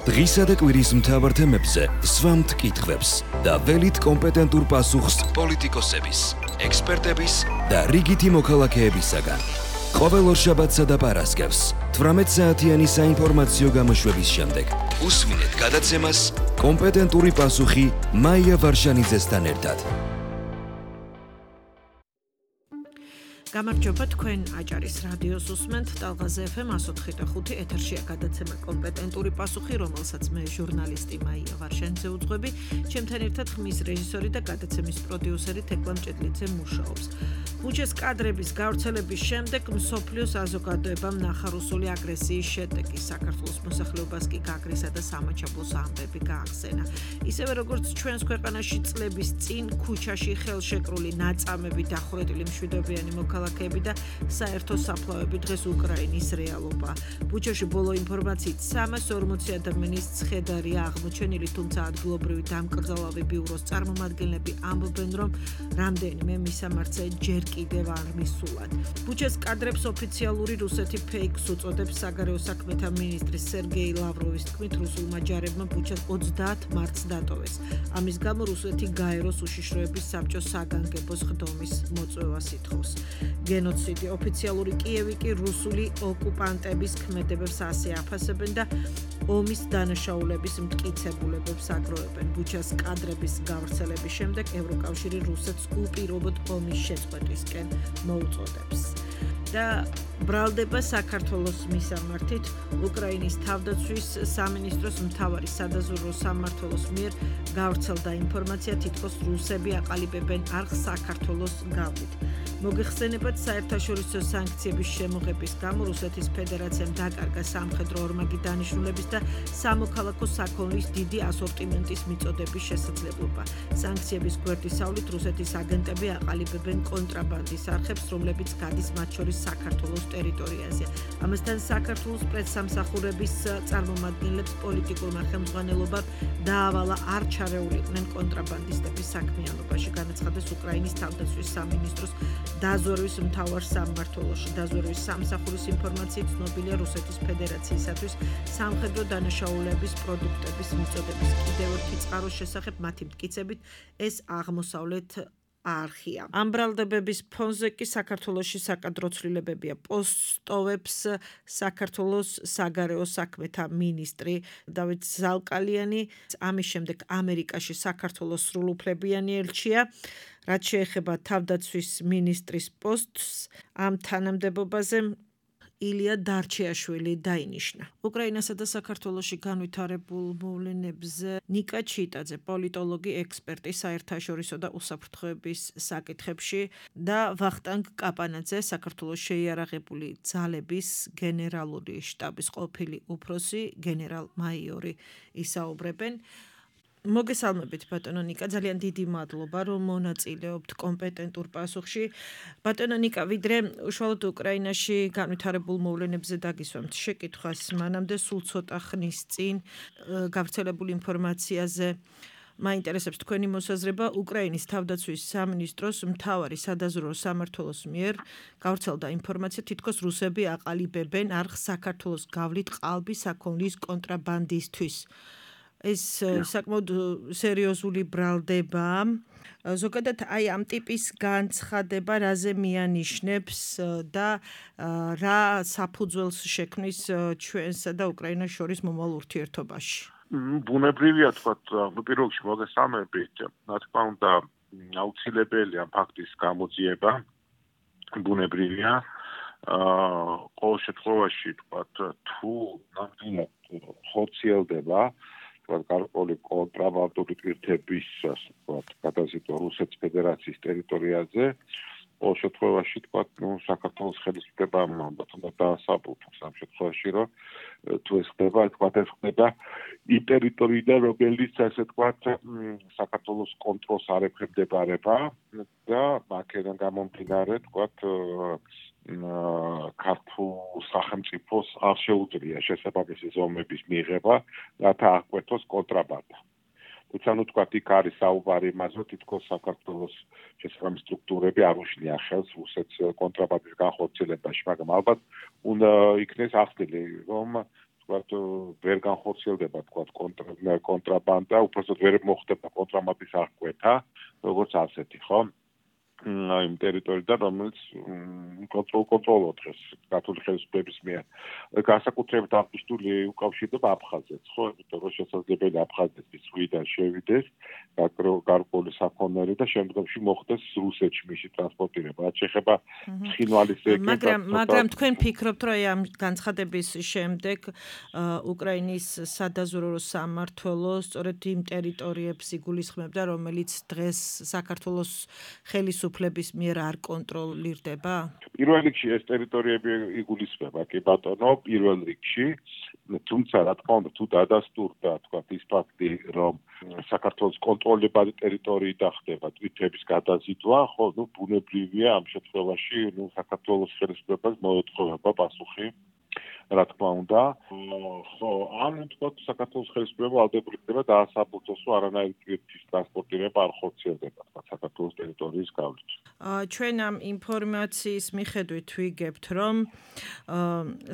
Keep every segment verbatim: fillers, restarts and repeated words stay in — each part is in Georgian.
დღისა და კვირის მთავარ თემებზე სვამთ კითხვებს და ველით კომპეტენტურ პასუხს პოლიტიკოსების, ექსპერტების და რიგითი მოქალაქეებისაგან. ყოველ ორშაბათსა და პარასკევს თვრამეტ საათიანი საინფორმაციო გამოშვების შემდეგ უსმინეთ გადაცემას კომპეტენტური პასუხი მაია ვარშანიძესთან ერთად. გამარჯობა, თქვენ აჭარის რადიოს უსმენთ ტალღაზე ეფ ემ one oh five და ხუთი ეთერშია გადაცემა კომპეტენტური პასუხი, რომელსაც მე ჟურნალისტი მაია ვარშანიძე უძღვები, ჩემთან ერთად ხმის რეჟისორი და გადაცემის პროდიუსერი თეკლა მჭედლიძე მუშაობს. ბუჩეს კადრების გავრცელების შემდეგ მსოფლიო საზოგადოებამ ნახარუსული აგრესიის შედეგი საქართველოს მოსახლეობას კი გაგრესა და სამაჩაბლოს ამბები გაახსენა. ისევე როგორც ჩვენს ქვეყანაში წლების წინ ქუჩაში ხელშეკრული ნაწამები დახურეტილი მშვიდობიანი მოქალაქეები და საერთო საფლავები დღეს უკრაინის რეალობა. ბუჩაში ბოლო ინფორმაციით სამას ორმოცი ადამიანის ცხედარია აღმოჩენილი, თუმცა ადგილობრივი დამკრძალავი ბიუროს წარმომადგენლები ამბობენ, რომ რამდენიმე მისამართზე ჯერ კიდევ არ მისულად. ბუჩეს კადრებს ოფიციალური რუსეთი ფეიქს უწოდებს. საგარეო საქმეთა მინისტრის სერგეი ლავროვის თქმით, რუსულმა ჯარებმა ბუჩას ოცდაათ მარტს დატოვეს. ამის გამო რუსეთი გაეროს უშიშროების საბჭოს საგანგებოს ხდომის მოწვევას ითხოვს. გენოციდი ოფიციალური კიევი კი რუსული ოკუპანტების ქმედებებს ასე აფასებენ და ომის დანაშაულების მტკიცებულებებს აგროვებენ. ბუჩას კადრების გავრცელების შემდეგ ევროკავშირი რუსეთს უპირობოდ ომის შეწყვეტისკენ მოუწოდებს. და ბრალდება საქართველოს მისამართით უკრაინის თავდაცვის სამინისტროს მთავარი სადაზვერვო სამმართველოს მიერ გავრცელდა ინფორმაცია, თითქოს რუსები აყალიბებენ არხს საქართველოს გავლით. მოგეხსენებათ, საერთაშორისო სანქციების შემოღების გამო რუსეთის ფედერაციამ დაკარგა სამხედრო ორმაგი დანიშნულების და სამოქალაქო საქონლის დიდი ასორტიმენტის მიწოდების შესაძლებლობა. სანქციების გვერდისავლით რუსეთის აგენტები აყალიბებენ კონტრაბანდის არხებს, რომლებიც გადის მათ შორის საქართველოს ტერიტორიაზე. ამასთან საქართველოს პრესსამსახურების წარმომადგენლებს პოლიტიკურმა ხელმძღვანელობამ დაავალა არ ჩარეულიყვნენ კონტრაბანდისტების საქმიანობაში. განაცხადეს უკრაინის თავდაცვის სამინისტროს დაზვერვის მთავარ სამმართველოში. დაზვერვის სამსახურის ინფორმაციით ცნობილია რუსეთის ფედერაციისათვის სამხედრო დანაშაულების პროდუქტების მიწოდების კიდევ ერთი წყაროს შესახებ მათი მტკიცებით ეს აღმოსავლეთ არხია. ამ ბრალდებების ფონზე კი საქართველოში საკადრო ცვლილებებია. პოსტოვებს საქართველოს საგარეო საქმეთა მინისტრი დავით ზალკალიანი, ამის შემდეგ ამერიკაში საქართველოს სრულუფლებიანი ელჩია. რაც შეეხება თავდაცვის მინისტრის პოსტს, ამ თანამდებობაზე ილია დარჩეაშვილი დაინიშნა. უკრაინასა და საქართველოში განვითარებულ მოვლენებზე ნიკა ჩიტაძე, პოლიტოლოგი, ექსპერტი საერთაშორისო და უსაფრთხოების საკითხებში და ვახტანგ კაპანაძე, საქართველოს შეიარაღებული ძალების გენერალური შტაბის ყოფილი უფროსი, გენერალ-მაიორი ისაუბრებენ. მოგესალმებით ბატონო ნიკა, ძალიან დიდი მადლობა რომ მონაწილეობთ კომპეტენტურ პასუხში. ბატონო ნიკა, ვიდრე უშუალოდ უკრაინაში განვითარებულ მოვლენებზე დაგისვამთ შეკითხვას, მანამდე სულ ცოტა ხნის წინ გავრცელებული ინფორმაციაზე მაინტერესებს თქვენი მოსაზრება. უკრაინის თავდაცვის სამინისტროს მთავარი სადაზვერვო სამმართველოს მიერ გავრცელდა ინფორმაცია, თითქოს რუსები აყალიბებენ არხს საქართველოს გავლით ყალბი საქონლის კონტრაბანდისთვის. ეს საკმაოდ სერიოზული ბრალდებაა. ზოგადად აი ამ ტიპის განცხადება რაზე მიანიშნებს და რა საფუძველს შექმნის ჩვენსა და უკრაინას შორის მომავალ ურთიერთობაში? ბუნებრივია თქვა, პირველ რიგში მოგესალმებით. რა თქმა უნდა, აუცილებელია ფაქტის გამოძიება. ბუნებრივია. ყოველ შემთხვევაში თქვა, თუ ნამდვილად ხორციელდება გარკვეული კონტრაბანდული პირთების გადაზიდვა რუსეთის ფედერაციის ტერიტორიაზე, ყოველ შემთხვევაში თქვა, ნუ საქართველოს ხელისუფლებამ უნდა დაასაბუთოს ამ შემთხვევაში, რომ თუ ეს ხდება, თქვა, ეს ხდება იმ ტერიტორიიდან, რომელიც ასე თქვა, საქართველოს კონტროლს არ ექვემდებარება და აქედან გამომდინარე, თქვა, ქართულ სახელმწიფოს არ შეუძლია შესაბამისი ზომების მიღება, რათა აღკვეთოს კონტრაბანდა. თუმცა ნუ თქვა, იქ არის საუბარი იმაზე, რომ თითქოს საქართველოს შესაბამისი სტრუქტურები არ უშლიან ხელს რუსეთს კონტრაბანდის განხორციელებაში, მაგრამ ალბათ უნდა იქნეს ახდილი, რომ ვთქვათ, ვერ განხორციელდება ვთქვათ კონტრაბანდა, უბრალოდ ვერ მოხდება კონტრაბანდის აღკვეთა, როგორც ასეთი, ხო? იმ ტერიტორიიდან, რომელიც კონტროლ კონტროლობ დღეს ქართული ხელისუფლების მიერ. განსაკუთრებით აღნიშნული უკავშირდება აფხაზეთს, ხო? იმიტომ რომ შესაძლებელია აფხაზეთის ზღვიდან შევიდეს გარკვეული საქონელი და შემდგომში მოხდეს რუსეთში მისი ტრანსპორტირება. რაც შეეხება ცხინვალის ეგრეთ. მაგრამ მაგრამ თქვენ ფიქრობთ, რომ ამ განცხადების შემდეგ უკრაინის სადაზვერვო სამმართველო სწორედ იმ ტერიტორიებს იგულისხმებდა, რომელიც დღეს საქართველოს ხელისუფლების უფლების მიერ არ კონტროლირდება? პირველ რიგში ეს ტერიტორიები იგულისხმება, კი ბატონო, პირველ რიგში, თუმცა რა თქმა უნდა, თუ დადასტურდა, თქვათ, ის ფაქტი, რომ საქართველოს კონტროლებადი ტერიტორიიდან ხდება თვითების გადაზიდვა, ხო, ნუ ბუნებრივია ამ შემთხვევაში, ნუ საქართველოს ხელისუფლებას მოეთხოვება პასუხი. რა თქმა უნდა, ხო, ან თქვათ საქართველოს ხელისუფლება ვალდებული ხდება დაასაბუთოს, რომ არანაირი ტვირთის ტრანსპორტირება არ ხორციელდება, თქვათ საქართველოს ტერიტორიის გავლით. ჩვენ ამ ინფორმაციის მიხედვით ვიგებთ, რომ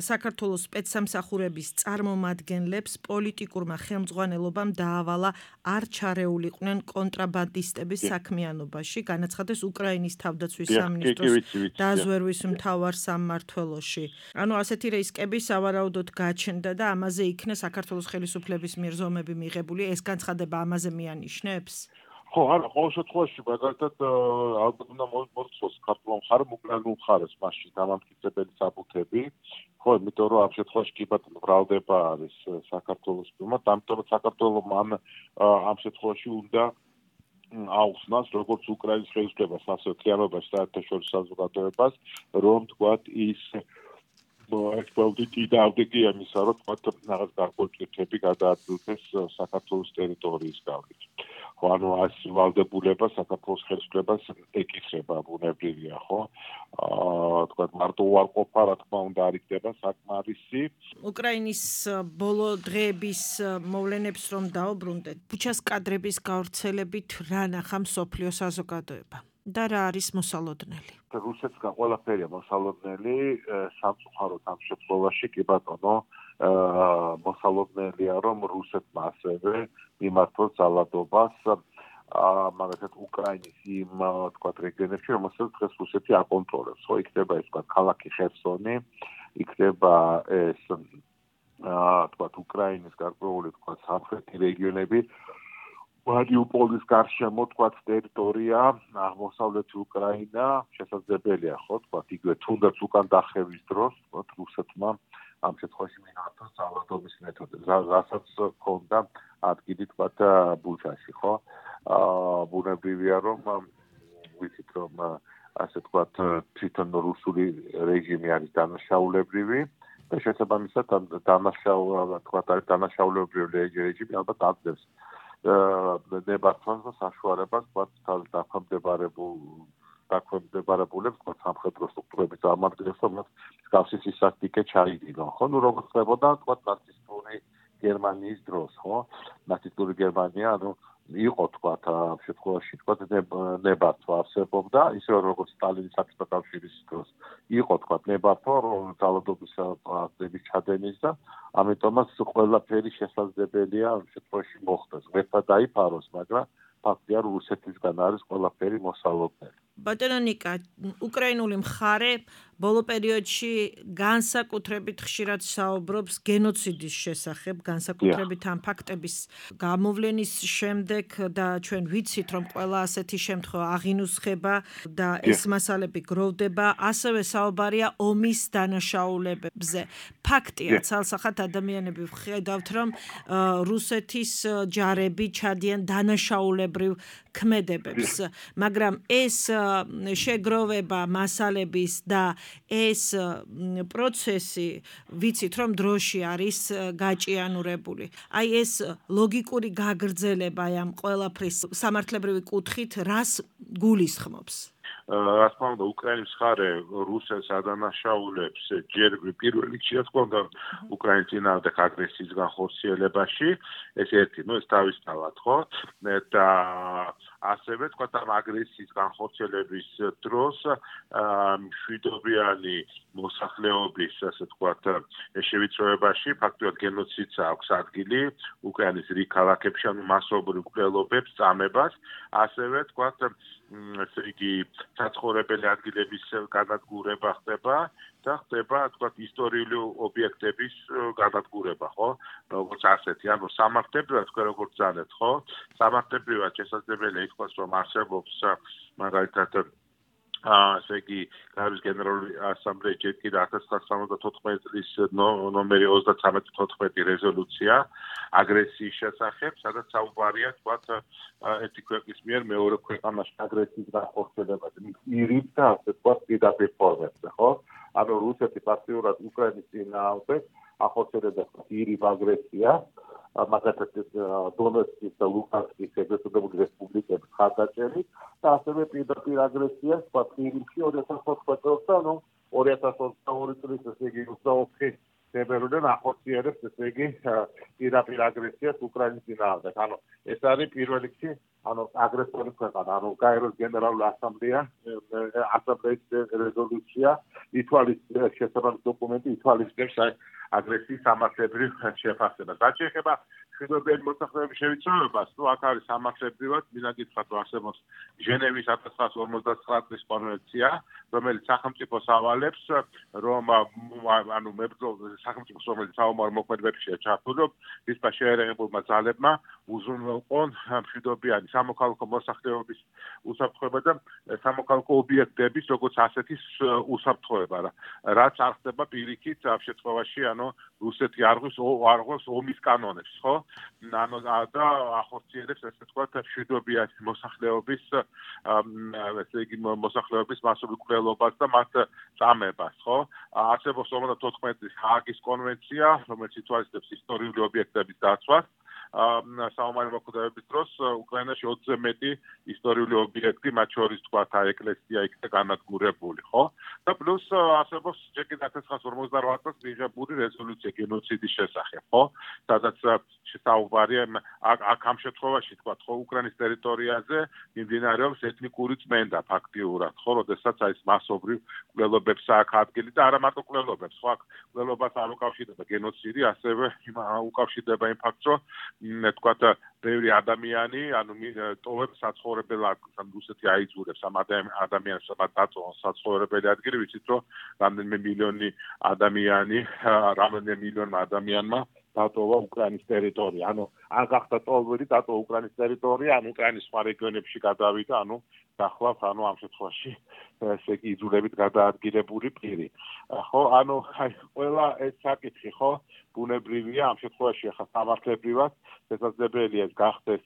საქართველოს სპეცსამსახურების წარმომადგენლებს პოლიტიკურმა ხელმძღვანელობამ დაავალა არ ჩარეულიყვნენ კონტრაბანდისტების საქმიანობაში, განაცხადეს უკრაინის თავდაცვის სამინისტროს დაზვერვის მთავარ სამმართველოში. ანუ ასეთი რისკები სავარაუდოდ გაჩნდა და ამაზე იქნა საქართველოს ხელისუფლების მიერ ზომები მიღებული, ეს განცხადება ამაზე მიანიშნებს? ხო, არა, ყოველ შემთხვევაში, მაგალითად, ალბათ უნდა მოხდეს ქართულ მხარემ უკრაინულ მხარეს მასში დამამტკიცებელი საბუთები, ხო, იმიტომ რომ ამ შემთხვევაში კი ბატონო ბრალდება არის საქართველოს მიმართ, ამიტომ საქართველოს ამ ამ შემთხვევაში უნდა აუხსნას როგორც უკრაინის ხელისუფლებას, ასევე თიანობაში საერთაშორისო საზოგადოებას, რომ თქვათ ის ექსპერტი დაავდგი ამისა, რომ თქვათ რაღაც გარკვეული ტვირთები გადაადგილდეს საქართველოს ტერიტორიის გავლით. ხო, ანუ ეს ვალდებულება საქართველოს ხელისუფლებას ეკისრება, ბუნებრივია, ხო? აა, თქვათ მარტო უარყოფა, რა თქმა უნდა, არ იქნება საკმარისი. უკრაინის ბოლო დღეების მოვლენებს რომ დაუბრუნდეთ, ბუჩას კადრების გავრცელებით რა ნახა მსოფლიო საზოგადოება და რა არის მოსალოდნელი? რუსეთსგან ყველაფერია მოსალოდნელი, სამწუხაროდ ამ შემთხვევაში კი ბატონო, მოსალოდნელია, რომ რუსეთმა ასევე მიმართოს ძალადობას, მაგალითად უკრაინის იმ თქვათ რეგიონებში, რომელსაც დღეს რუსეთი აკონტროლებს. ხო, იქნება ეს თქვათ ქალაქი ხერსონი, იქნება ეს თქვათ უკრაინის გარკვეული თქვათ სამხრეთი რეგიონები, მარიუპოლის გარშემო თქვათ ტერიტორია, აღმოსავლეთი უკრაინა, შესაძლებელია, ხო, თქვათ იგივე თუნდაც უკან დახევის დროს, თქვათ რუსეთმა ამ შემთხვევაში მიმართოს ძალადობის მეთოდებს, რასაც ჰქონდა ადგილი თქვათ ბუჩაში, ხო? აა ბუნებრივია, რომ ვიცით, რომ ასე თქვათ თვითონ რუსული რეჟიმი არის დანაშაულებრივი და შესაბამისად დანაშაულებრივი თქვათ არის დანაშაულებრივი რეჟიმი ალბათ აგდებს ნებართვას და საშუალებას თქვათ დაქვემდებარებულ დაქვემდებარებულებს თქვათ სამხედრო სტრუქტურების წარმომადგენლებს, რომ მსგავსი სისასტიკე ჩაიდინონ, ხო? ნუ როგორც ხდებოდა თქვათ ნაცისტური გერმანიის დროს, ხო? ნაცისტური გერმანია, ანუ იყო თქვათ ამ შემთხვევაში თქვათ ნებართვა არსებობდა, ისე როგორც სტალინის საბჭოთა კავშირის დროს იყო თქვათ ნებართვა, რომ ძალადობის აქტების ჩადენის და ამიტომაც ყველაფერი შესაძლებელია ამ შემთხვევაში მოხდეს. ვერთა დაიფაროს, მაგრამ ფაქტია, რომ რუსეთისგან არის ყველაფერი მოსალოდნელი. ბატონო ნიკა, უკრაინული მხარე ბოლო პერიოდში განსაკუთრებით ხშირად საუბრობს გენოციდის შესახებ, განსაკუთრებით ამ ფაქტების გამოვლენის შემდეგ და ჩვენ ვიცით, რომ ყველა ასეთი შემთხვევა აღინუსხება და ეს მასალები გროვდება, ასევე საუბარია ომის დანაშაულებებზე. ფაქტია, ცალსახად ადამიანები ვხედავთ, რომ რუსეთის ჯარები ჩადიან დანაშაულებრივ ქმედებებს, მაგრამ ეს შეგროვება მასალების და ეს პროცესი ვიცით, რომ დროში არის გაჭიანურებული. აი ეს ლოგიკური გაგრძელება ამ ყველაფრის სამართლებრივი კუთხით რას გულისხმობს? რა თქმა უნდა, უკრაინის მხარე რუსეთს ადანაშაულებს ჯერ პირველ რიგში, რა თქმა უნდა, უკრაინის წინააღმდეგ აგრესიის განხორციელებაში, ეს ერთი, ну, ეს თავისთავად, ხო? და ასევე თქვა ამ აგრესიის განხორციელების დროს მშვიდობიანი მოსახლეობის, ასე ვთქვათ, შევიწროებაში ფაქტობრივად გენოციდს აქვს ადგილი უკრაინის რიგ ქალაქებში, ანუ მასობრივ მკვლელობებს, წამებას, ასევე ვთქვათ, ესე იგი საცხოვრებელი ადგილების განადგურება ხდება და ხდება, ვთქვათ, ისტორიული ობიექტების განადგურება, ხო? როგორც ასეთი, ანუ სამართლებრივად თქვენ როგორც ძალეთ, ხო? სამართლებრივად შესაძლებელია ითქვას, რომ არსებობს მაგალითად ასე იგი გაეროს გენერალური ასამბლეის ჯერ კიდევ ათას ცხრაასა სამოცდათოთხმეტი წლის ნომერი ოცდათვრამეტი თოთხმეტი რეზოლუცია აგრესიის შესახებ, სადაც საუბარია, თქვათ, ერთი ქვეყნის მიერ მეორე ქვეყანაში აგრესიის განხორციელებაზე, პირით და ასე ვთქვათ, პირდაპირ ფორმებზე, ხო? ანუ რუსეთი ფაქტიურად უკრაინის წინააღმდეგ ახორციელებს პირით აგრესიას, მაგალითად დონეცკის და ლუგანსკის ეგრეთ წოდებული რესპუბლიკების ხარდაჭერით და ასევე პირდაპირ აგრესიას პატრიოტი ორი ათას ოთხმეტი წელს და ნუ ორი ათას ოცდაორი წლის ესე იგი ოცდაოთხი თებერვლიდან ახორციელებს ესე იგი პირდაპირ აგრესიას უკრაინის წინააღმდეგ. ანუ ეს არის პირველ რიგში ანუ აგრესორი ქვეყანა, ანუ გაეროს გენერალური ასამბლეა, ასამბლეის რეზოლუცია ითვალისწინებს შესაბამის დოკუმენტი ითვალისწინებს აგრესიის სამართლებრივ შეფასებას. რაც შეეხება მშვიდობიანი მოსახლეობის შევიწროებას, ნუ აქ არის სამართლებრივად, მინდა გითხრათ, რომ არსებობს ჟენევის ათას ცხრაასა ორმოცდათვრამეტი წლის კონვენცია, რომელიც სახელმწიფოს ავალებს, რომ ანუ მებრძოლ სახელმწიფოს, რომელიც საომარ მოქმედებებშია ჩართული, რომ მისმა შეერაღებულმა ძალებმა უზრუნველყონ მშვიდობიანი სამოქალაქო მოსახლეობის უსაფრთხოება და სამოქალაქო ობიექტების როგორც ასეთის უსაფრთხოება, რაც არ ხდება პირიქით ამ შემთხვევაში, ანუ რუსეთი არღვის არღოს ომის კანონებს, ხო? ანუ და ახორციელებს ესე ვთქვათ მშვიდობიანი მოსახლეობის ესე იგი მოსახლეობის მასობრივ მკვლელობას და მათ წამებას, ხო? არსებობს ორმოცდათოთხმეტი წლის ჰააგის კონვენცია, რომელიც ითვალისწინებს ისტორიული ობიექტების დაცვას. საომარი მოქმედებების დროს უკრაინაში ოცზე მეტი ისტორიული ობიექტი, მათ შორის თქვათ ეკლესია იქნა განადგურებული, ხო? და პლუს არსებობს ჯერ კიდევ ათას ცხრაასა ორმოცდარვამეტ წელს მიღებული რეზოლუცია გენოციდის შესახებ, ხო? სადაც საუბარია აქ ამ შემთხვევაში თქვათ, ხო, უკრაინის ტერიტორიაზე მიმდინარეობს ეთნიკური წმენდა ფაქტიურად, ხო, როდესაც არის მასობრივ მკვლელობებს აქ ადგილი და არა მარტო მკვლელობებს, ხო, აქ მკვლელობას არ უკავშირდება გენოციდი, ასევე უკავშირდება იმ ფაქტს, რომ თქვათ ბევრი ადამიანი, ანუ ტოვებს საცხოვრებელ ადგილს, ანუ რუსეთი აიძულებს ამ ადამიანებს დაწვან საცხოვრებელი ადგილი, ვიცით, რომ რამდენიმე მილიონი ადამიანი, რამდენიმე მილიონმა ადამიანმა დატოვა უკრაინის ტერიტორია. ანუ ან გახდა ტოვები დატოვა უკრაინის ტერიტორია, ან უკრაინის სხვა რეგიონებში გადავიდა, ანუ გახლავთ, ანუ ამ შემთხვევაში ესე იგი იძულებით გადაადგილებული პირი. ხო, ანუ აი ყველა ეს საკითხი, ხო, ბუნებრივია ამ შემთხვევაში ახლა სამართლებრივად შესაძლებელია ეს გახდეს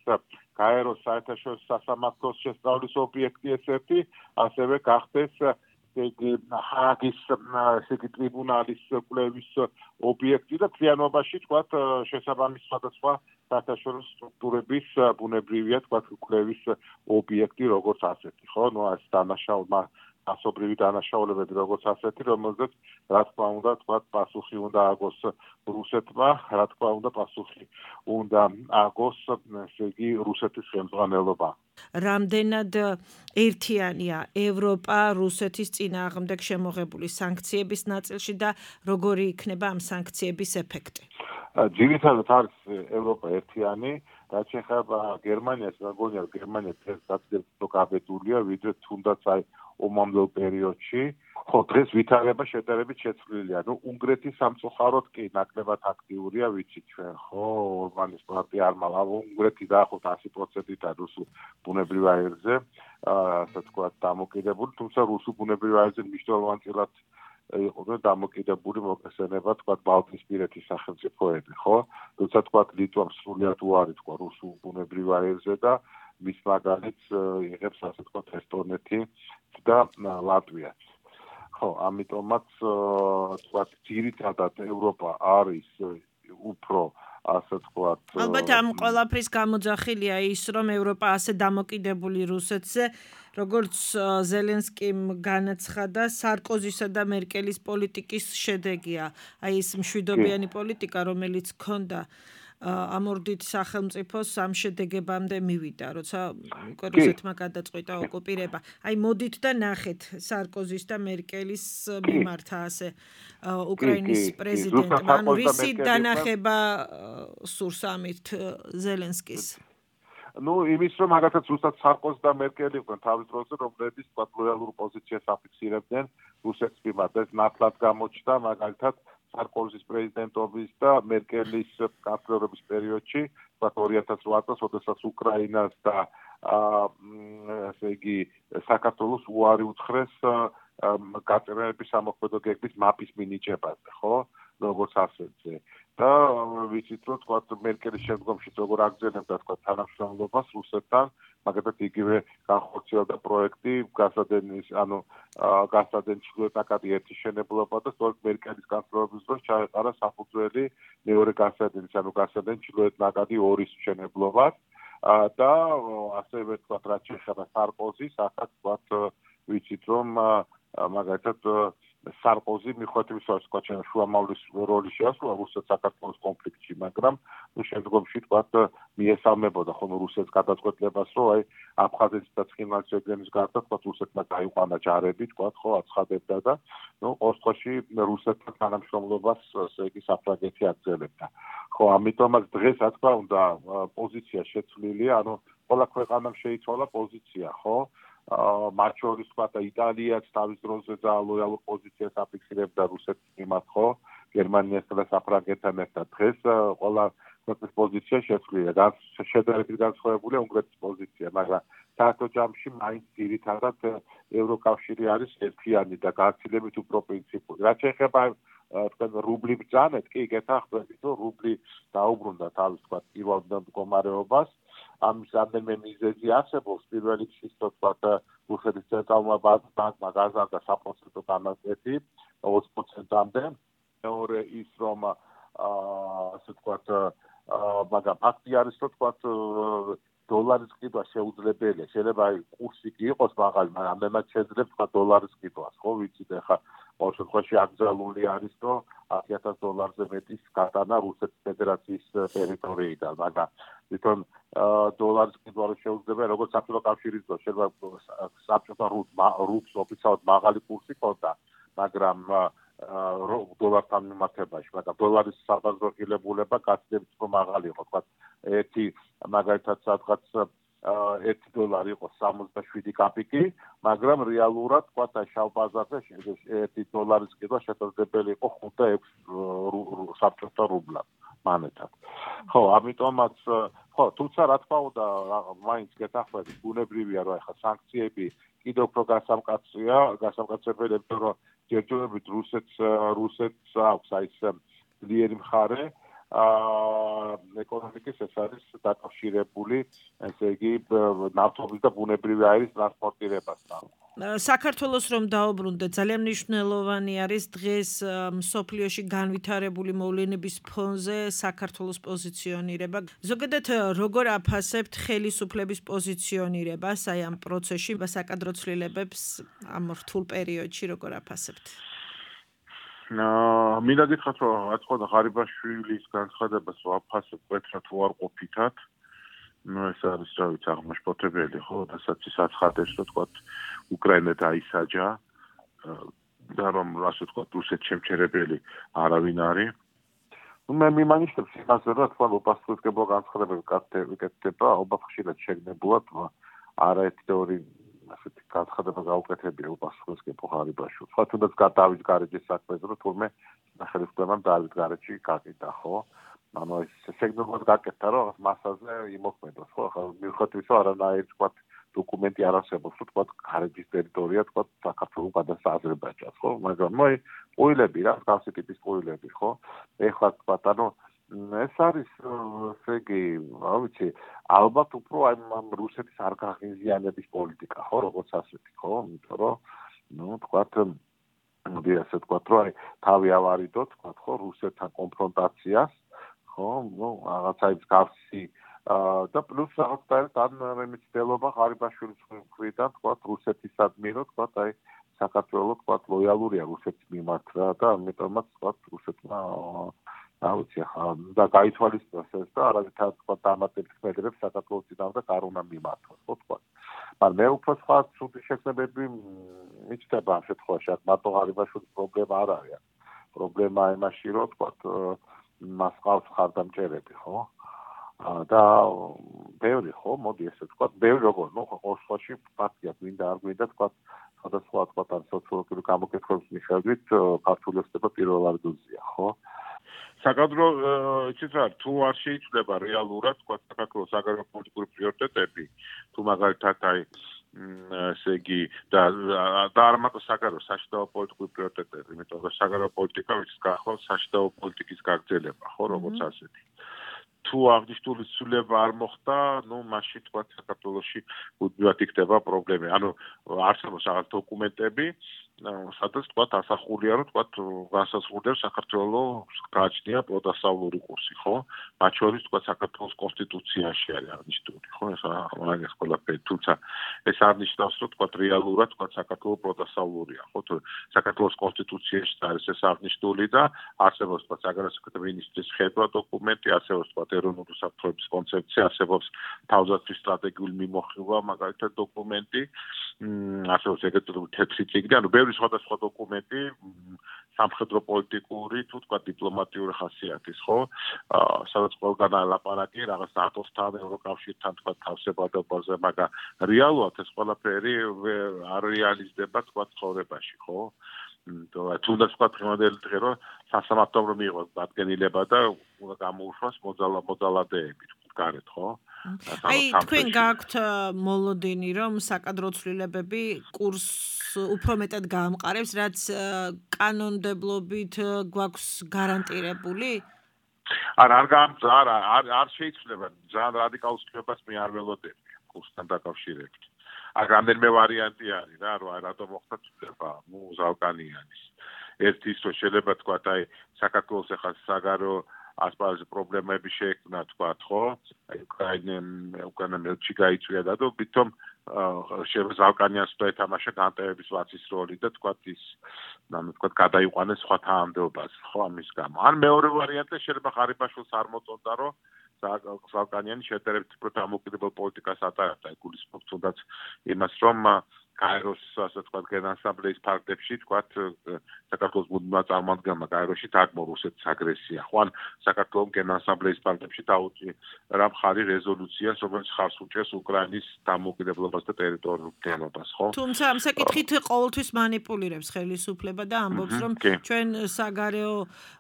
გაეროს საერთაშორისო სასამართლოს შესწავლის ობიექტი ესეთი, ასევე გახდეს ჰააგის ესე იგი ტრიბუნალის კვლევის ობიექტი და მთლიანობაში თქვათ შესაბამის სხვადასხვა საერთაშორისო სტრუქტურების ბუნებრივია თქვათ კვლევის ობიექტი როგორც ასეთი, ხო? ნუ ეს დანაშაულმა ასობრივი დანაშაულებები როგორც ასეთი, რომელზეც რა თქმა უნდა თქვათ პასუხი უნდა აგოს რუსეთმა, რა თქმა უნდა პასუხი უნდა აგოს ესე იგი რუსეთის ხელმძღვანელობა. რამდენად ერთიანია ევროპა რუსეთის წინააღმდეგ შემოღებული სანქციების ნაწილში და როგორი იქნება ამ სანქციების ეფექტი? ძირითადად არის ევროპა ერთიანი, რაც შეეხება გერმანიას, მეგონია გერმანია დღესაც გაბედულია, ვიდრე თუნდაც აი ომამდელ პერიოდში. ხო, დღეს ვითარება შედარებით შეცვლილია. ნუ უნგრეთის სამწუხაროდ კი ნაკლებად აქტიურია, ვიცით ჩვენ, ხო, ორბანის პარტია არ მალა, უნგრეთი დაახლოებით ასი პროცენტით არის რუსულ ბუნებრივ აირზე, ასე ვთქვათ, დამოკიდებული, თუმცა რუსულ ბუნებრივ აირზე მნიშვნელოვანწილად იყო დამოკიდებული მოგესალება, თქვათ, ბალტიისპირეთის სახელმწიფოები, ხო? თუმცა თქვათ, ლიტვამ სრულად უარი თქვა რუსულ ბუნებრივ აირზე და მის მაგალითს იღებს, ასე ვთქვათ, ესტონეთი და ლატვიაც. ხო, ამიტომაც თქვათ, ძირითადად ევროპა არის უფრო ასე ვთქვათ. ალბათ ამ ყველაფრის გამოძახილია ის, რომ ევროპა ასე დამოკიდებული რუსეთზე, როგორც ზელენსკიმ განაცხადა, სარკოზისა და მერკელის პოლიტიკის შედეგია. აი ეს მშვიდობიანი პოლიტიკა, რომელიც ჰქონდა ამორდით სახელმწიფოს ამ შედეგებამდე მივიდა, როცა უკვე რუსეთმა გადაწყვიტა ოკუპირება. აი მოდით და ნახეთ სარკოზის და მერკელის მიმართა ასე უკრაინის პრეზიდენტმა, ანუ რისი დანახება სურს ამით ზელენსკის? ну, იმის რომ მაგათაც უბრალოდ სარკოზი და მერკელი იყვნენ თავის დროზე, რომლებიც თქვა ლოიალურ პოზიციას აფიქსირებდნენ რუსეთის მიმართ. ეს ნათლად გამოჩნდა მაგალითად სარკოზის პრეზიდენტობის და მერკელის კანცლერობის პერიოდში, თქვა ორი ათას რვა წელს, როდესაც უკრაინას და ასე იგი საქართველოს უარი უთხრეს გაწერების სამოქმედო გეგმის მაპის მინიჭებაზე, ხო? როგორც ასეთზე. და ვიცით რომ თქვა მერკელის შემდგომშიც როგორ აგრძელებდა თქვა თანამშრომლობას რუსეთთან, მაგალითად იგივე განხორციელდა პროექტი გასადენის, ანუ გასადენის შუათაკადი ერთი შენებლობა და სწორედ მერკელის განხორციელების დროს ჩაეყარა საფუძველი მეორე გასადენის, ანუ გასადენის შუათაკადი ორის შენებლობას და ასევე თქვა რაც შეეხება სარკოზის, ახაც თქვა ვიცით რომ მაგალითად სარკოზი მიხვედრების სხვა შუამავლის როლი შეასრულა რუსეთ-საქართველოს კონფლიქტში, მაგრამ შემდგომში თქვა მიესალმებოდა ხოლმე რუსეთს გადაწყვეტლებას, რომ აი აფხაზეთის და ცხინვალის რეგიონის გარდა თქვა რუსეთმა დაიყვანა ჯარები, თქვა ხო აცხადებდა და ნუ ყოველთვის რუსეთთან თანამშრომლობას ესე იგი საფრანგეთი აგრძელებდა. ხო, ამიტომაც დღეს რა თქმა უნდა პოზიცია შეცვლილია, ანუ ყველა ქვეყანამ შეიცვალა პოზიცია, ხო? მათ შორის თქვა და იტალიაც თავის დროზე ძალიან ლოიალურ პოზიციას აფიქსირებდა რუსეთის მიმართ, ხო? გერმანიასთან და საფრანგეთთან ერთად. დღეს ყველა ქვეყნის პოზიცია შეცვლილია. შედარებით განსხვავებულია უნგრეთის პოზიცია, მაგრამ საერთო ჯამში მაინც ძირითადად ევროკავშირი არის ერთიანი და გაცილებით უფრო პრინციპული. რაც შეეხება თქვენ რუბლი ბრძანეთ, კი გეთანხმებით, რომ რუბლი დაუბრუნდა თავის თქვა პირველ მდგომარეობას. ამის რამდენიმე მიზეზი არსებობს. პირველი ის თქვა რუსეთის ცენტრალურმა ბანკმა გაზარდა საპროცენტო განაკვეთი ოცი პროცენტამდე. მეორე ის რომ ასე თქვა მაგრამ ფაქტი არის რომ თქვა დოლარის ყიდვა შეუძლებელია. შეიძლება აი კურსი კი იყოს მაღალი, მაგრამ ამდენად შეძლებს თქვა დოლარის ყიდვას, ხო ვიცით ახლა ყოველ შემთხვევაში აკრძალული არის რომ ათი ათას დოლარზე მეტის გატანა რუსეთის ფედერაციის ტერიტორიიდან, მაგრამ თვითონ დოლარის ყიდვა რო შეუძლია, როგორც საბჭოთა კავშირის დროს შეიძლება საბჭოთა რუბლს ოფიციალურად მაღალი კურსი ჰქონდა, მაგრამ დოლართან მიმართებაში, მაგრამ დოლარის საბაზრო ღირებულება გაცილებით უფრო მაღალი იყო, თქვა ერთი მაგალითად სადღაც ერთი დოლარი იყო სამოცდაშვიდი კაპიკი, მაგრამ რეალურად თქვა შავ ბაზარზე ერთი დოლარის ყიდვა შესაძლებელი იყო ხუთ და ექვს საბჭოთა რუბლად მანეთად. ხო, ამიტომაც ხო, თუმცა რა თქმა უნდა, მაინც გეთანხმებით, ბუნებრივია რომ ახლა სანქციები კიდევ უფრო გასამკაცია, გასამკაცებელი, იმიტომ რომ ჯერჯერობით რუსეთს რუსეთს აქვს აი ეს ძლიერი მხარე ეკონომიკის, ეს არის დაკავშირებული, ესე იგი, ნავთობის და ბუნებრივი აირის ტრანსპორტირებასთან. საქართველოს რომ დაუბრუნდეთ, ძალიან მნიშვნელოვანი არის დღეს მსოფლიოში განვითარებული მოვლენების ფონზე საქართველოს პოზიციონირება. ზოგადად როგორ აფასებთ ხელისუფლების პოზიციონირებას აი ამ პროცესში, საკადრო ცვლილებებს ამ რთულ პერიოდში როგორ აფასებთ? მინდა გითხრათ, რომ რა თქმა უნდა ღარიბაშვილის განცხადებას ვაფასებ კვეთრად თუ არ ყოფითად. ну ეს არის რა ვიცი აღმაშფოთებელი, ხო, რასაც ის აცხადებს, რომ თქვა უკრაინა დაისაჯა და რომ ასე თქვა რუსეთს შემჩერებელი არავინ არის. ну მე მიმანიშნებს იმას, რომ თქვა ოპასუხებელ განცხადებები გაკეთდება, ალბათ ხშირად შეგნებულად არაერთი და ორი ასეთი განცხადება გაუკეთებია ოპასუხებელ ღარიბაშვილს. სხვა თუნდაც გადავით გარეჯის საქმეზე, რომ თურმე სახელმწიფომ დავით გარეჯში გაკიდა, ხო? ანუ ეს შეგნებულად გაკეთდა, რომ მასაზე იმოქმედოს, ხო? ახლა მიუხედავად იმისა, არანაირი თქვა დოკუმენტი არ არსებობს, რომ თქვა გარეჯის ტერიტორია თქვა საქართველოს გადასცა აზერბაიჯანს, ხო? მაგრამ მოი ყუილები რა, გავსი ტიპის ყუილები, ხო? ეხლა თქვა, ანუ ეს არის ესე იგი, რა ვიცი, ალბათ უფრო აი ამ რუსეთის არ გაღიზიანების პოლიტიკა, ხო, როგორც ასეთი, ხო? იმიტომ რომ ნუ თქვა მოდი ასე თქვა, რომ აი თავი ავარიდოთ, თქვა, ხო, რუსეთთან კონფრონტაციას, ხო, ნუ რაღაცა ის გავსი და პლუს რაღაცა თან მემცდელობა ღარიბაშვილის მხრიდან, თქვა, რუსეთისადმი, რომ თქვა, აი საქართველოს თქვა ლოიალურია რუსეთის მიმართ რა და ამიტომაც თქვა რუსეთმა აუცი ახლა და გაითვალისწინოს ეს და არავითარ თქვა დამატებით ქმედებს საქართველოს წინააღმდეგ არ უნდა მიმართოს, ხო თქვა. მაგრამ მე უფრო სხვა ცუდი შექმნებები მიჩნდება ამ შემთხვევაში, მარტო ღარიბაშვილის პრობლემა არ არის. პრობლემა იმაში, რომ თქვა მას ყავს ხარდამჭერები, ხო? და ბევრი ხო, მოდი ესე თქვა, ბევრი როგორ, ნუ ყოველ შემთხვევაში ფაქტია, გვინდა არ გვინდა თქვა, სხვადასხვა თქვა ამ სოციოლოგიური გამოკითხვების მიხედვით ქართული ოცნება პირველ ადგილზეა, ხო? საკადრო იცით რა, თუ არ შეიცვლება რეალურად თქვა საქართველოს საგარეო პოლიტიკური პრიორიტეტები, თუ მაგალითად აი ესე იგი და და არ მარტო საგარეო საშინაო პოლიტიკური პრიორიტეტები, იმიტომ რომ საგარეო პოლიტიკა ვიცით გახლავს საშინაო პოლიტიკის გაგრძელება, ხო, როგორც ასეთი. თუ აღნიშნული ცვლილება არ მოხდა, ნუ მაშინ თქვა საქართველოში უდმივად იქნება პრობლემა. ანუ არსებობს რაღაც დოკუმენტები, სადაც თქვა ასახულია, რომ თქვა განსაზღვრდება საქართველოს გააჩნია პროდასავლური კურსი, ხო? მათ შორის თქვა საქართველოს კონსტიტუციაში არის აღნიშნული, ხო? ეს მაგას ყველაფერი, თუმცა ეს არ ნიშნავს, რომ თქვა რეალურად თქვა საქართველოს პროდასავლურია, ხო? თუ საქართველოს კონსტიტუციაში არის ეს აღნიშნული და არსებობს თქვა საგარეო საქმეთა მინისტრის ხედვა დოკუმენტი, არსებობს თქვა ეროვნული საფრთხეების კონცეფცია, არსებობს თავდაცვის სტრატეგიული მიმოხილვა, მაგალითად დოკუმენტი, არსებობს ეგრეთ წოდებული თეთრი წიგნი, ანუ ბევრი სხვადასხვა დოკუმენტი სამხედრო პოლიტიკური თუ თქვა დიპლომატიური ხასიათის, ხო? სადაც ყველგან ალაპარაკი რაღაც ნატოსთან, ევროკავშირთან თქვა თავსებადობაზე, მაგრამ რეალურად ეს ყველაფერი არ რეალიზდება თქვა ცხოვრებაში, ხო? თუნდაც თქვა დღევანდელი დღე რომ სასამართლომ მიიღოს დადგენილება და უნდა გამოუშვას მოძალა მოძალადეები გარეთ, ხო? აი თქვენ გაქვთ მოლოდინი რომ საკადრო ცვლილებები კურსს უფრო მეტად გაამყარებს, რაც კანონმდებლობით გვაქვს გარანტირებული? არა, არ არ არ არ შეიცვლება, ძალიან რადიკალურ ცვლილებას მე არ ველოდები კურსთან დაკავშირებით. აი რამდენიმე ვარიანტი არის რა, რომ რატომ მოხდა ცვლილება, ნუ ზალკანიანის. ერთი ის რომ შეიძლება თქვა აი საქართველოს ახლა საგარეო ასპარეზი პრობლემები შეექმნა თქვა, ხო? აი უკრაინამ უკრაინამ გაიწვია და თვითონ შეიძლება ზალკანიანს და ეთამაშა განტევების ვაცის როლი და თქვა ის ანუ თქვა გადაიყვანეს სხვა თანამდებობაზე, ხო ამის გამო. ან მეორე ვარიანტი შეიძლება ღარიბაშვილს არ მოწონდა, რომ ზალკანიანი შედარებით უფრო დამოუკიდებელ პოლიტიკას ატარებდა, გულისხმობს თუნდაც იმას, რომ გაეროს ასე ვთქვათ გენასამბლეის ფარგლებში თქვათ საქართველოს მუდმივმა წარმომადგენელმა გაეროში დაგმო რუსეთის აგრესია. ხო ან საქართველოს გენასამბლეის ფარგლებში დაუჭი რა მხარი რეზოლუციას, რომელიც ხარს უჭერს უკრაინის დამოუკიდებლობას და ტერიტორიულობას, ხო? თუმცა ამ საკითხით ყოველთვის манипуლირებს ხელისუფლება და ამბობს, რომ ჩვენ საგარეო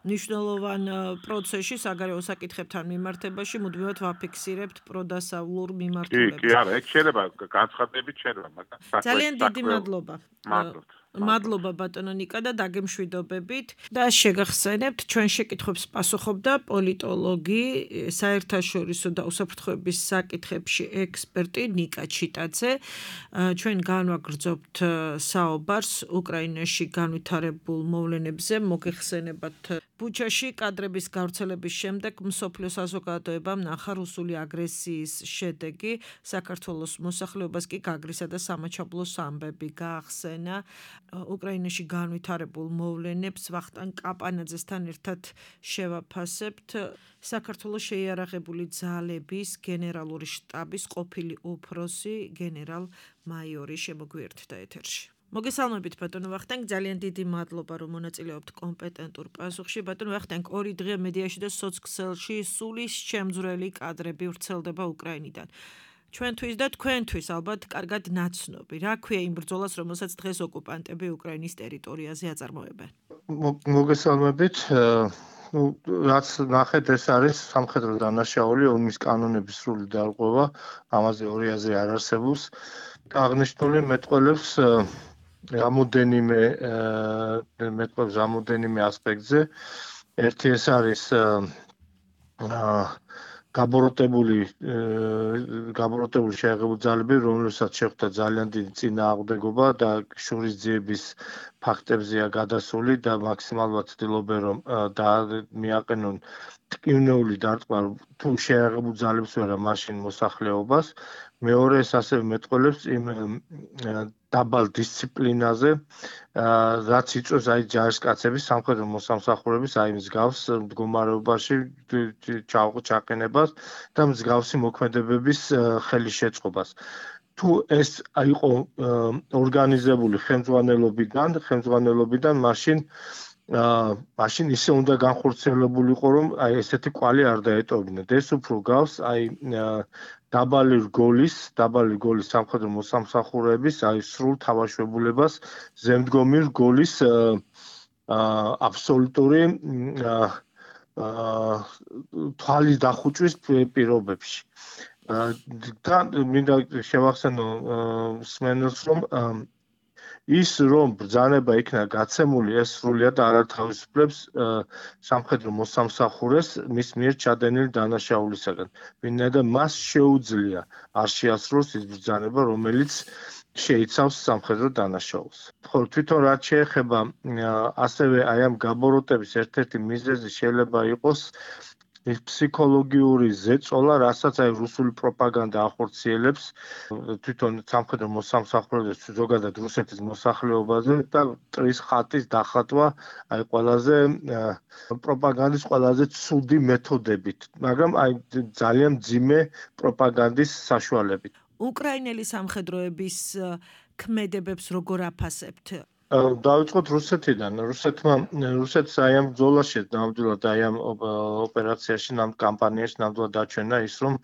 მნიშვნელოვან პროცესში, საგარეო საკითხებთან მიმართებაში მუდმივად ვაფიქსირებთ პროდასავლურ მიმართულებას. კი, კი, არა, ეგ შეიძლება განცხადებით შეიძლება, მაგრამ ძალიან დიდი მადლობა. მადლობა ბატონო ნიკა და დაგემშვიდობებით და შეგახსენებთ ჩვენ შეკითხვებს პასუხობდა პოლიტოლოგი, საერთაშორისო და უსაფრთხოების საკითხებში ექსპერტი ნიკა ჩიტაძე. ჩვენ განვაგრძობთ საუბარს უკრაინაში განვითარებულ მოვლენებზე, მოგეხსენებათ ბუჩაში კადრების გავრცელების შემდეგ მსოფლიო საზოგადოებამ ნახა რუსული აგრესიის შედეგი, საქართველოს მოსახლეობას კი გაგრისა და სამაჩაბლოს ამბები გაახსენა. უკრაინაში განვითარებულ მოვლენებს ვახტანგ კაპანაძესთან ერთად შევაფასებთ. საქართველოს შეიარაღებული ძალების გენერალური შტაბის ყოფილი უფროსი გენერალ-მაიორი შემოგვიერთდა ეთერში. მოგესალმებით ბატონო ვახტანგ, ძალიან დიდი მადლობა რომ მონაწილეობთ კომპეტენტურ პასუხში. ბატონო ვახტანგ, ორი დღე მედიაში და სოცქსელში სულის შემძვრელი კადრები ვრცელდება უკრაინიდან. ჩვენთვის და თქვენთვის ალბათ კარგად ნაცნობი. რა ქვია იმ ბრძოლას, რომელსაც დღეს ოკუპანტები უკრაინის ტერიტორიაზე აწარმოებენ? მოგესალმებით. ნუ რაც ნახეთ, ეს არის სამხედრო დანაშაული, ომის კანონების სრული დარღვევა, ამაზე ორი აზრი არ არსებობს. აღნიშნული მეტყველებს რამოდენიმე მეტყველებს რამოდენიმე ასპექტზე. ერთი ეს არის გაბოროტებული გაბოროტებული შეიარაღებული ძალები, რომელსაც შეხვდა ძალიან დიდი წინააღმდეგობა და შურისძიების ფაქტებზეა გადასული და მაქსიმალურად ცდილობენ რომ მიაყენონ ტკივნეული დარტყმა თუ შეაღებულ ძალებს ვერა მაშინ მოსახლეობას. მეორე ეს ასევე მეტყველებს იმ დაბალ დისციპლინაზე, რაც იწვევს აი ჯარისკაცების სამხედრო მოსამსახურების აი მსგავს მდგომარეობაში ჩაყენებას და მსგავსი მოქმედებების ხელის შეწყობას. თუ ეს იყო ორგანიზებული ხელმძღვანელობიდან, ხელმძღვანელობიდან მაშინ აა მაშინ ისე უნდა განხორციელებულიყო, რომ აი ესეთი კვალი არ დაეტოვებინათ. ეს უფრო გავს აი დაბალი რგოლის, დაბალი რგოლის სამხედრო მოსამსახურეების აი სრულ თავშებულებას ზემდგომი რგოლის აა აბსოლუტური აა თვალის დახუჭვის პირობებში. და მინდა შევახსენო მსმენელს, რომ ის რომ ბრძანება იქნა გაცემული, ეს სრულიად არ ათავისუფლებს სამხედრო მოსამსახურეს მის მიერ ჩადენილი დანაშაულისაგან. ვინაიდან მას შეუძლია არ შეასრულოს ის ბრძანება, რომელიც შეიცავს სამხედრო დანაშაულს. ხო, თვითონ რაც შეეხება ასევე აი ამ გაბოროტების ერთ-ერთი მიზეზი შეიძლება იყოს ის ფსიქოლოგიური ზეწოლა, რასაც აი რუსული პროპაგანდა ახორციელებს თვითონ სამხედრო მოსამსახურეებს ზოგადად რუსეთის მოსახლეობაზე და მტრის ხატის დახატვა აი ყველაზე პროპაგანდის ყველაზე ცუდი მეთოდებით, მაგრამ აი ძალიან მძიმე პროპაგანდის საშუალებით. უკრაინელი სამხედროების ქმედებებს როგორ აფასებთ? დავიწყოთ რუსეთიდან. რუსეთმა რუსეთს აი ამ ბრძოლაში ნამდვილად აი ამ ოპერაციაში, ამ კამპანიაში ნამდვილად დაჩვენა ის, რომ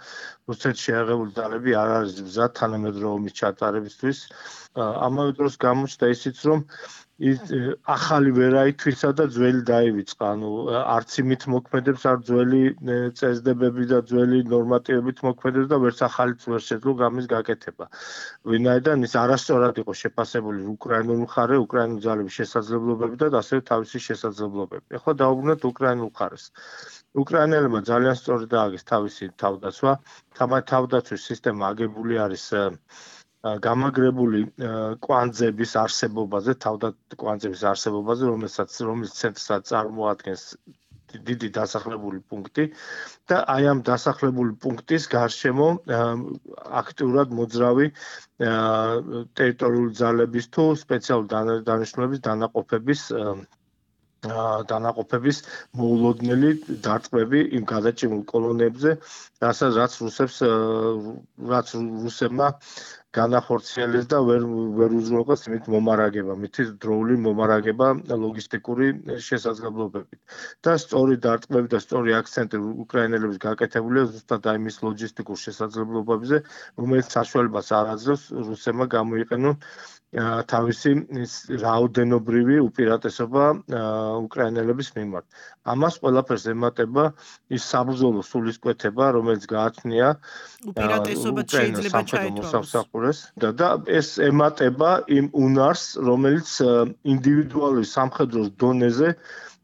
რუსეთს შეაღებული ძალები არ არის მზად თანამედროვე ომის ჩატარებისთვის. ამავე დროს გამოჩნდა ისიც, რომ ის ახალი ვერაითვისა და ძველი დაივიწყა. ანუ არც იმით მოქმედებს, არ ძველი წესდებები და ძველი ნორმატივებით მოქმედებს და ვერც ახალიც ვერ შეძლო გამის გაკეთება. ვინაიდან ის არასწორად იყო შეფასებული უკრაინული მხარე, უკრაინული ძალების შესაძლებლობები და ასევე თავისი შესაძლებლობები. ეხლა დავუბრუნდეთ უკრაინულ მხარეს. უკრაინელებმა ძალიან სწორად დააგეს თავისი თავდაცვა. თავდაცვის სისტემა აგებული არის გამაგრებული კვანძების არსებობაზე, თავდაკვანძების არსებობაზე, რომელსაც რომლის ცენტრსაც წარმოადგენს დიდი დასახლებული პუნქტი და აი ამ დასახლებული პუნქტის გარშემო აქტიურად მოძრავი ტერიტორიული ძალების თუ სპეციალური დანიშნულების დანაყოფების დანაყოფების მოულოდნელი დარტყმები იმ გადაჭიმულ კოლონიებზე, რასაც რაც რუსებს რაც რუსებმა განახორციელეს და ვერ ვერ უზრუნველყეს მით მომარაგება, მით დროული მომარაგება ლოგისტიკური შესაძლებლობებით. და სწორი დარტყმები და სწორი აქცენტი უკრაინელების გაკეთებულია ზუსტად აი მის ლოგისტიკურ შესაძლებლობებზე, რომელიც საშუალებას არ აძლევს რუსებმა გამოიყენონ თავისი რაოდენობრივი უპირატესობა უკრაინელების მიმართ. ამას ყველაფერს ემატება ის საბრძოლო სულისკვეთება, რომელიც გააჩნია უპირატესობა შეიძლება ჩაითვალოს. და და ეს ემატება იმ უნარს, რომელიც ინდივიდუალური სამხედროს დონეზე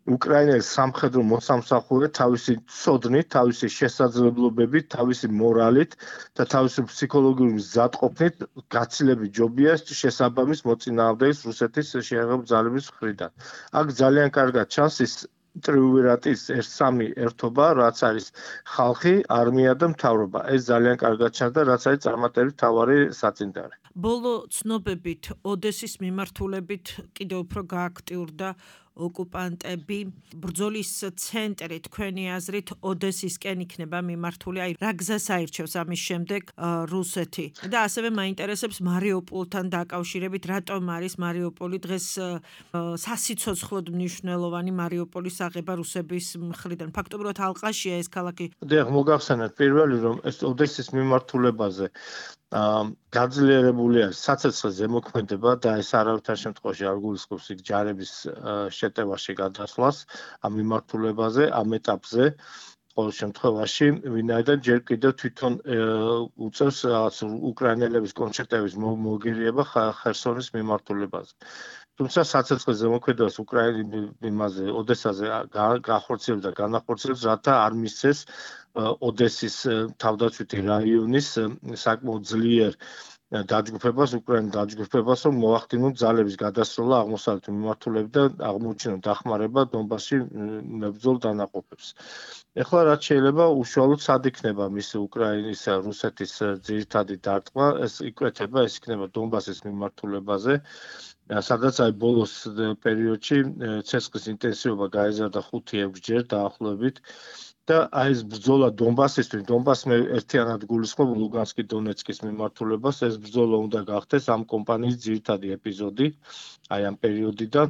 უკრაინელი სამხედრო მოსამსახურე თავისი ცოდნით, თავისი შესაძლებლობებით, თავისი მორალით და თავისი ფსიქოლოგიური მზადყოფნით გაცილებით ჯობია შესაბამის მოწინააღმდეგეს რუსეთის შეაღებულ ძალების მხრიდან. აქ ძალიან კარგად ჩანს ის ტრიუმვირატის ერთ სამი ერთობა, რაც არის ხალხი, არმია და მთავრობა. ეს ძალიან კარგად ჩანს და რაც არის წარმატების მთავარი საწინდარი. ბოლო ცნობებით ოდესის მიმართულებით კიდევ უფრო გააქტიურდა ოკუპანტები. ბრძოლის ცენტრი თქვენი აზრით ოდესისკენ იქნება მიმართული, აი რა გზას აირჩევს ამის შემდეგ რუსეთი? და ასევე მაინტერესებს მარიუპოლთან დაკავშირებით, რატომ არის მარიუპოლი დღეს სასიცოცხლოდ მნიშვნელოვანი მარიუპოლის აღება რუსების მხრიდან? ფაქტობრივად ალყაშია ეს ქალაქი. დიახ, მოგახსენეთ პირველი, რომ ეს ოდესის მიმართულებაზე გაძლიერებული არის საცეცხლე ზემოქმედება და ეს არავითარ შემთხვევაში არ გულისხმობს იქ ჯარების შეტევაში გადასვლას ამ მიმართულებაზე, ამ ეტაპზე. ყოველ შემთხვევაში, ვინაიდან ჯერ კიდევ თვითონ უწევს რაღაც უკრაინელების კონცერტების მოგერიება ხერსონის მიმართულებაზე. თუმცა საცეცხლე ზემოქმედებას უკრაინის იმაზე, ოდესაზე გახორციელებს და განახორციელებს, რათა არ მისცეს ოდესის თავდაცვითი რაიონის საკმაოდ ძლიერ დაჯგუფებას, უკრაინის დაჯგუფებას, რომ მოახდინონ ძალების გადასროლა აღმოსავლეთ მიმართულებით და აღმოუჩინონ დახმარება დონბასში მებრძოლ დანაყოფებს. ეხლა რაც შეიძლება უშუალოდ სად იქნება მის უკრაინის რუსეთის ძირითადი დარტყმა, ეს იკვეთება, ეს იქნება დონბასის მიმართულებაზე, სადაც აი ბოლოს პერიოდში ცეცხლის ინტენსივობა გაიზარდა ხუთი ექვსჯერ დაახლოებით. და აი ეს ბრძოლა დონბასისთვის, დონბასს მე ერთიანად გულისხმობ ლუგანსკი დონეცკის მიმართულებას, ეს ბრძოლა უნდა გახდეს ამ კომპანიის ძირითადი ეპიზოდი, აი ამ პერიოდიდან.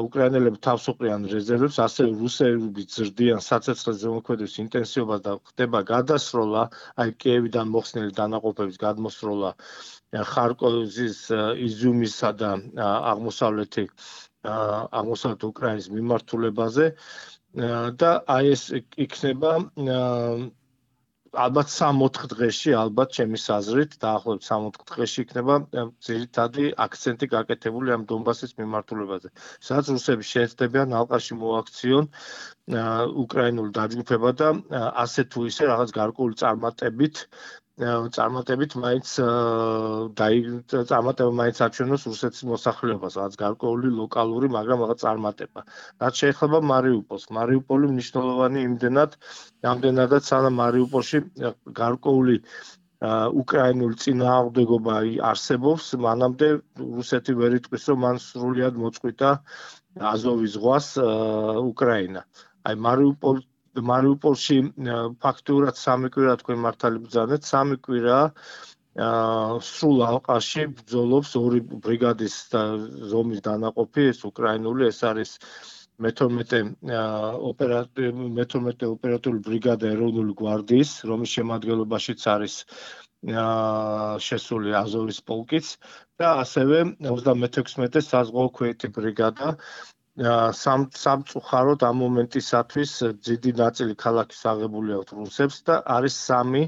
უკრაინელები თავს უყრიან რეზერვებს, ასევე რუსები ზრდიან საცეცხლის ზემოქმედების ინტენსივობას და ხდება გადასროლა, აი კიევიდან მოხსნილი დანაყოფების გადმოსროლა ხარკოვის, იზიუმისა და აღმოსავლეთი აღმოსავლეთ უკრაინის მიმართულებაზე. და აი ეს იქნება ალბათ სამოთხ დღეში, ალბათ ჩემის აზრით, დაახლოებით სამოთხ დღეში იქნება ძირითადი აქცენტი გაკეთებული ამ დონბასის მიმართულებაზე. სადაც რუსები შეეცდებიან ალყაში მოაქციონ უკრაინულ დაჯგუფება და ასე თუ ისე რაღაც გარკვეული წარმატებით წარმატებით მაინც წარმატება მაინც აჩვენოს რუსეთის მოსახლეობას, რაღაც გარკვეული ლოკალური, მაგრამ რაღაც წარმატება. რაც შეეხება მარიუპოლს, მარიუპოლი მნიშვნელოვანი იმდენად, ამდენადაც სანამ მარიუპოლში გარკვეული უკრაინული წინააღმდეგობა არსებობს, მანამდე რუსეთი ვერ იტყვის, რომ მან სრულად მოწყვიტა აზოვის ზღვას უკრაინა. აი მარიუპოლ მარიუპოლში ფაქტურად სამი კვირა თქვენ მართალი ბრძანეთ, სამი კვირა სრულ ალყაში ბრძოლობს ორი ბრიგადის ზომის დანაყოფი, ეს უკრაინული, ეს არის მეთორმეტე ოპერატიული ბრიგადა ეროვნული გვარდიის, რომლის შემადგენლობაშიც არის შესული აზოვის პოლკიც და ასევე ოცდამეექვსმეტე საზღვაო ქვეითი ბრიგადა. სამწუხაროდ ამ მომენტისათვის დიდი ნაწილი ქალაქის აღებული აქვს რუსებს და არის სამი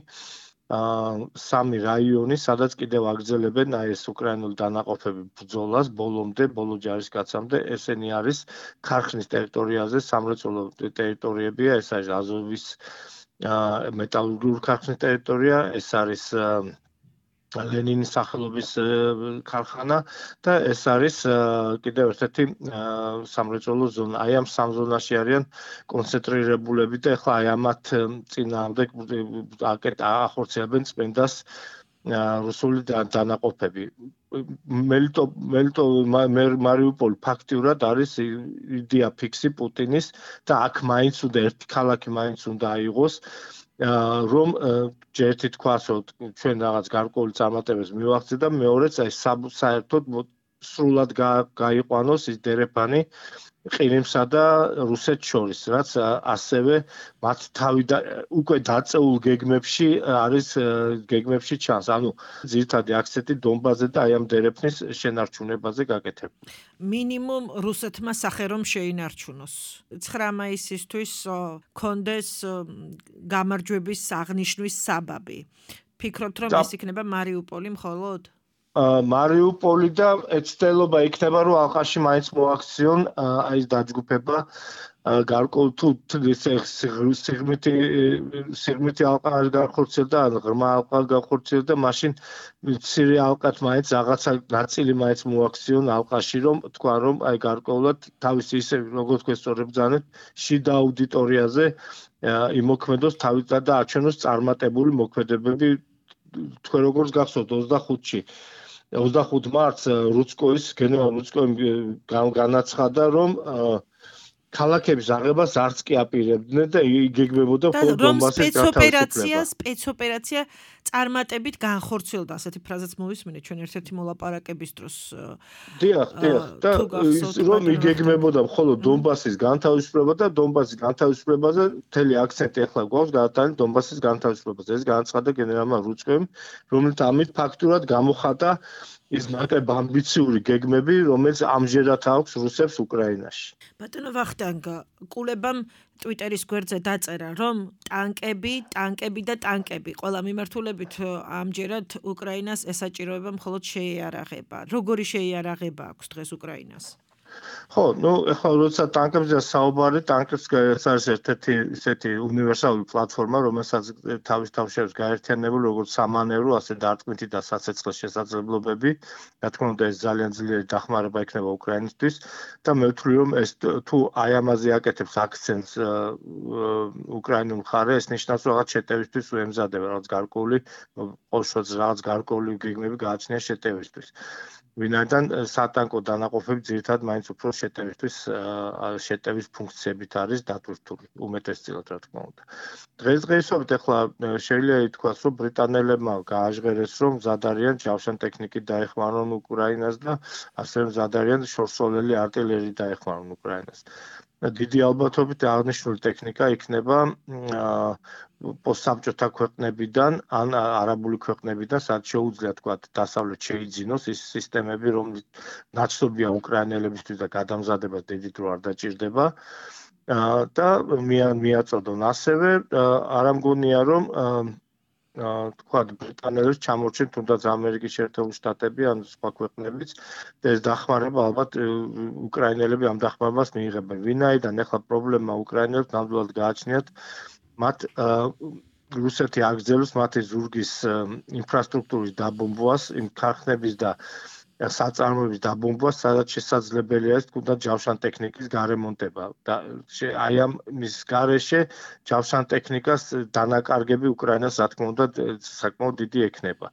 სამი რაიონი, სადაც კიდევ აგრძელებენ აი ეს უკრაინული დანაყოფები ბრძოლას ბოლომდე, ბოლო ჯარისკაცამდე. ესენი არის ქარხნის ტერიტორიაზე, სამრეწველო ტერიტორიებია, ეს არის აზოვის მეტალურგიული ქარხნის ტერიტორია, ეს არის ლენინის სახელობის ქარხანა და ეს არის კიდევ ერთ-ერთი სამრეწველო ზონა. აი ამ სამ ზონაში არიან კონცენტრირებულები და ახლა აი ამათ წინააღმდეგ ახორციელებენ წმენდას რუსული დანაყოფები. მარიუპოლი ფაქტიურად არის იდეა ფიქსი პუტინის და აქ მაინც უნდა ერთი ქალაქი მაინც უნდა აიღოს. რომ ერთი თქვას, რომ ჩვენ რაღაც გარკვეული წარმატებებს მივაღწევთ და მეორეც აი საერთოდ სრულად გაიყვანოს ის დერეფანი ყირიმსა და რუსეთს შორის, რაც ასევე მათ თავი უკვე დაწეულ გეგმებში არის გეგმებში ჩანს. ანუ ძირითადი აქცენტი დონბასზე და აი ამ დერეფნის შენარჩუნებაზე გაკეთებული. მინიმუმ რუსეთმა სახე რომ შეინარჩუნოს. ცხრა მაისისთვის კონდეს გამარჯვების აღნიშვნის საბაბი. ფიქრობთ რომ ეს იქნება მარიუპოლი მხოლოდ? მარიუპოლი და ეცდელობა იქნება რომ ალყაში მაინც მოაქციონ აი ეს დაჯგუფება გარკვეულ თუ სიღრმითი სიღრმითი ალყა არ განხორციელდა, ღრმა ალყა განხორციელდა, მაშინ მცირე ალყათ მაინც რაღაცა ნაწილი მაინც მოაქციონ ალყაში, რომ თქვა რომ აი გარკვეულად თავის ისე როგორც თქვენ სწორად ბრძანეთ, შიდა აუდიტორიაზე იმოქმედოს თავის და აჩვენოს წარმატებული მოქმედებები. თქვენ როგორც გახსოვთ ოცდახუთში ოცდახუთ მარტს რუცკოის გენერალ რუცკოიმ განაცხადა, რომ ქალაქების აღებას არც კი აპირებდნენ და იგეგმებოდა მხოლოდ დონბასის სპეცოპერაცია, სპეცოპერაცია წარმატებით განხორციელდა, ასეთი ფრაზაც მოვისმინეთ ჩვენ ერთ-ერთი მოლაპარაკების დროს. დიახ, დიახ, და რომ იგეგმებოდა მხოლოდ დონბასის განთავისუფლება და დონბასის განთავისუფლებაზე მთელი აქცენტი ახლა გვაქვს გადატანილი დონბასის განთავისუფლებაზე. ეს განაცხადა გენერალმა რუცკოიმ, რომელიც ამით ფაქტურად გამოხატა ის ნაკლებად ამბიციური გეგმები, რომელიც ამჟერად აქვს რუსებს უკრაინაში. ბატონო ვახტანგ, კულებამ ტვიტერის გვერდზე დაწერა, რომ ტანკები, ტანკები და ტანკები ყველა მიმართულებით ამჯერად უკრაინას ესაჭიროება მხოლოდ შეიარაღება. როგორი შეიარაღება აქვს დღეს უკრაინას? ხო, ну, ეხლა როცა ტანკებზე საუბარი, ტანკებს ეს არის ერთ-ერთი ისეთი უნივერსალური პლატფორმა, რომელსაც თავის თავში არის გაერთიანებული როგორც სამანევრო, ასე დარტყმითი და სასაწყლე შესაძლებლობები. რა თქმა უნდა, ეს ძალიან ძლიერი დახმარება იქნება უკრაინისთვის და მე ვთვლი, რომ ეს თუ აი ამაზე აკეთებს აქცენტს უკრაინულ მხარე, ეს ნიშნავს, რომ რაღაც შეტევისთვის უემზადება, რაღაც გარკვეული ყოველშოც რაღაც გარკვეული გეგმები გააჩნია შეტევისთვის. ვინაიდან სატანკო დანაყოფები ძირითადად მაინც უფრო შეტევისთვის შეტევის ფუნქციებით არის დატვირთული უმეტესწილად რა თქმა უნდა. დღესდღეობით ახლა შეიძლება ითქვას, რომ ბრიტანელებმა გააჟღერეს, რომ მზად არიან ჯავშან ტექნიკით დაეხმარონ უკრაინას და ასევე მზად არიან შორსოლელი артиლერიით დაეხმარონ უკრაინას. დიდი ალბათობით აღნიშნული ტექნიკა იქნება პოსტსაბჭოთა ქვეყნებიდან ან არაბული ქვეყნებიდან, სადაც შეუძლია თქვა დასავლეთ შეიძინოს ის სისტემები, რომელიც ნაცნობია უკრაინელებისთვის და გადამზადებას დიდი დრო არ დაჭირდება და მიაწოდონ ასევე არა მგონია რომ თქვა ბრიტანელებს ჩამორჩენ თუნდაც ამერიკის შეერთებული შტატები ან სხვა ქვეყნებიც და ეს დახმარება ალბათ უკრაინელები ამ დახმარებას მიიღებენ. ვინაიდან ახლა პრობლემა უკრაინელებს ნამდვილად გააჩნიათ მათ რუსეთი აგრძელებს მათი ზურგის ინფრასტრუქტურის დაბომბვას, იმ ქარხნების და საწარმოების დაბომბვას, სადაც შესაძლებელია ეს თუნდაც ჯავშან ტექნიკის გარემონტება და აი ამ მის გარეშე ჯავშან ტექნიკას დანაკარგები უკრაინას რა თქმა უნდა საკმაოდ დიდი ექნება.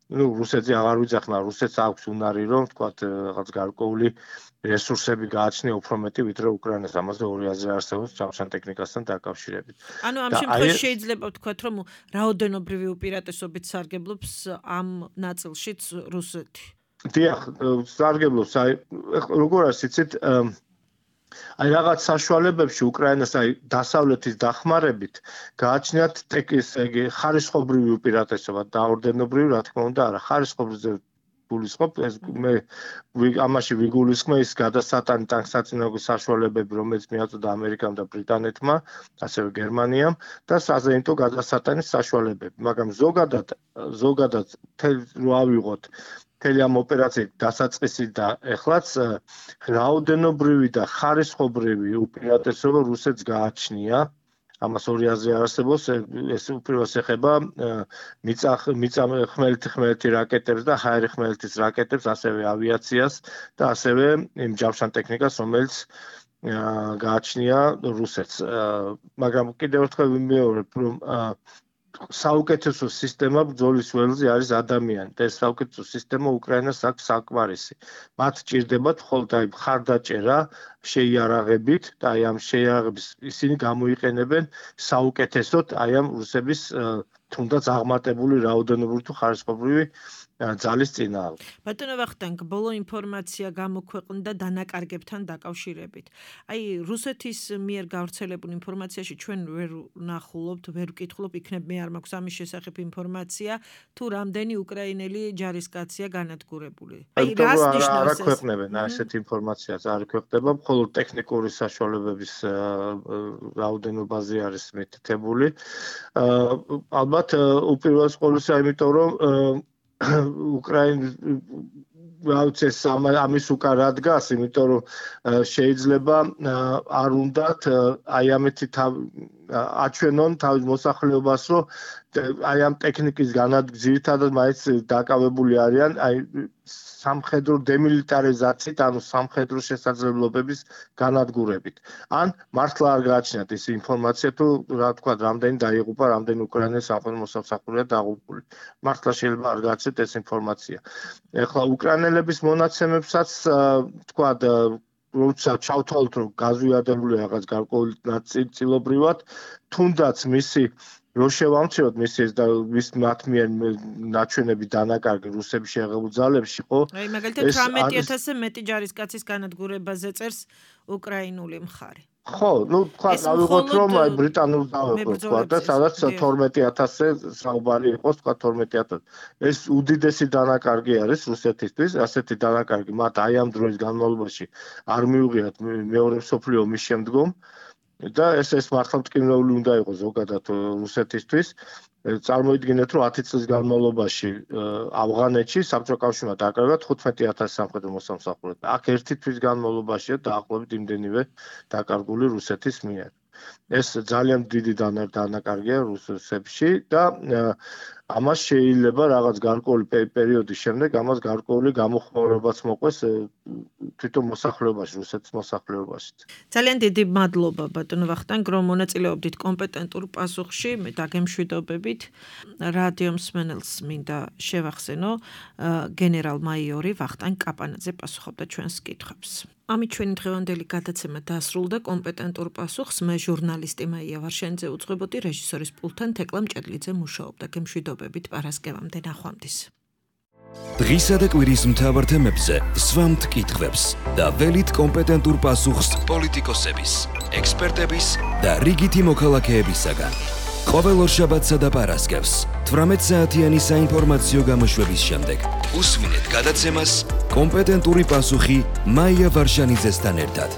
ну რუსეთზე აღარ ვიძახნა, რუსეთს აქვს უნარი რომ თქვა რაღაც გარკვეული რესურსები გააჩნია უფრო მეტი ვიდრე უკრაინას, ამაზე ორი აზრი არსებობს ჯავშან ტექნიკასთან დაკავშირებით. ანუ ამ შემთხვევაში შეიძლება ვთქვათ რომ რაოდენობრივი უპირატესობით სარგებლობს ამ ნაწილშიც რუსეთი. დიახ, სარგებლობს, აი როგორ არის იცით, აი რაღაც საშუალებებში უკრაინას აი დასავლეთის დახმარებით გააჩნიათ ტექის ეგ ხარისხობრივი უპირატესობა და ორდენობრივი რა თქმა უნდა არა, ხარისხობრივზე გულისხმობ, ეს მე ამაში ვიგულისხმე ის გადასატანი ტანკსაწინააღმდეგო საშუალებები, რომელიც მიაწოდა ამერიკამ და ბრიტანეთმა, ასევე გერმანიამ და საზეიმთო გადასატანის საშუალებები, მაგრამ ზოგადად ზოგადად რო ავიღოთ მთელი ამ ოპერაციით დასაწყისი და ეხლაც რაოდენობრივი და ხარისხობრივი უპირატესობა რუსეთს გააჩნია. ამას ორი აზრი არსებობს, ეს უპირველეს ეხება მიწა ხმელეთი ხმელეთი რაკეტებს და ჰაერი ხმელეთის რაკეტებს, ასევე ავიაციას და ასევე იმ ჯავშან ტექნიკას, რომელიც გააჩნია რუსეთს. მაგრამ კიდევ ერთხელ ვიმეორებ, რომ საუკეთესო სისტემა ბრძოლის ველზე არის ადამიანი და ეს საუკეთესო სისტემა უკრაინას აქვს საკმარისი. მათ ჭირდებათ მხოლოდ აი მხარდაჭერა შეიარაღებით და აი ამ შეიარაღების ისინი გამოიყენებენ საუკეთესოდ აი ამ რუსების თუნდაც აღმატებული რაოდენობრივი თუ ხარისხობრივი ძალის წინააღმდეგ. ბატონო ვახტანგ, ბოლო ინფორმაცია გამოქვეყნდა დანაკარგებთან დაკავშირებით. აი რუსეთის მიერ გავრცელებულ ინფორმაციაში ჩვენ ვერ ნახულობთ, ვერ ვკითხულობ, იქნებ მე არ მაქვს ამის შესახებ ინფორმაცია, თუ რამდენი უკრაინელი ჯარისკაცია განადგურებული. აი რას ნიშნავს ეს? არ აქვეყნებენ ასეთ ინფორმაციას, არ აქვეყნება, მხოლოდ ტექნიკური საშუალებების რაოდენობაზე არის მითითებული. ალბათ უპირველეს ყოვლისა, იმიტომ რომ უკრაინის ვაუცეს ამის უკან რა დგას, იმიტომ რომ შეიძლება არ უნდათ აი ამეთი აჩვენონ თავის მოსახლეობას, რომ აი ამ ტექნიკის განადგურებით ძირითადად მაინც დაკავებული არიან აი სამხედრო დემილიტარიზაციით, ანუ სამხედრო შესაძლებლობების განადგურებით. ან მართლა არ გააჩნიათ ეს ინფორმაცია, თუ რა თქვა, რამდენი დაიღუპა, რამდენი უკრაინელი სამხედრო მოსამსახურეა დაღუპული. მართლა შეიძლება არ გააჩნიათ ეს ინფორმაცია. ეხლა უკრაინელების მონაცემებსაც თქვა როცა ჩავთვალოთ, რომ გაზვიადებულია რაღაც გარკვეული ნაწილობრივად, თუნდაც მისი რო შევამციროთ მისი და მის მათ მიერ ნაჩვენები დანაკარგი რუსების შეღებულ ძალებში, ხო? აი მაგალითად თვრამეტი ათასზე მეტი ჯარისკაცის განადგურებაზე წერს უკრაინული მხარე. ხო, ну თქვა დავიღოთ რომ აი ბრიტანულს დავიღოთ თქვა და სადაც თორმეტი ათასზე საუბარი იყოს, თქვა თორმეტი ათასი. ეს უდიდესი დანაკარგი არის რუსეთისთვის, ასეთი დანაკარგი მათ აი ამ დროის განმავლობაში არ მიუღიათ მეორე მსოფლიო ომის შემდგომ. და ეს ეს მართლა მტკივნეული უნდა იყოს ზოგადად რუსეთისთვის. წარმოიდგინეთ, რომ ათი წლის განმავლობაში ავღანეთში საბჭოთა კავშირმა დაკარგა თხუთმეტი ათასი სამხედრო მოსამსახურე. აქ ერთი თვის განმავლობაშია დაახლოებით იმდენივე დაკარგული რუსეთის მიერ. ეს ძალიან დიდი დანაკარგია რუსეთში და ამას შეიძლება რაღაც გარკვეული პერიოდის შემდეგ ამას გარკვეული გამოხმაურებაც მოყვეს თვითონ მოსახლეობაში, რუსეთის მოსახლეობაში. ძალიან დიდი მადლობა ბატონო ვახტანგ, რომ მონაწილეობდით კომპეტენტურ პასუხში, მე დაგემშვიდობებით. რადიო მსმენელს მინდა შევახსენო, გენერალ-მაიორი ვახტანგ კაპანაძე პასუხობდა ჩვენს კითხვებს. ამით ჩვენი დღევანდელი გადაცემა დასრულდა. კომპეტენტურ პასუხს მე ჟურნალისტი მაია ვარშენიძე უძღვებოდი, რეჟისორის პულტთან თეკლა მჭედლიძე მუშაობდა. გემშვიდობებით პარასკევამდე ნახვამდის. დღისა და კვირის მთავარ თემებზე სვამთ კითხვებს და ველით კომპეტენტურ პასუხს პოლიტიკოსების, ექსპერტების და რიგითი მოქალაქეებისაგან. ყოველ ორშაბათსა და პარასკევს თვრამეტ საათიანი საინფორმაციო გამოშვების შემდეგ უსმინეთ გადაცემას კომპეტენტური პასუხი მაია ვარშანიძესთან ერთად.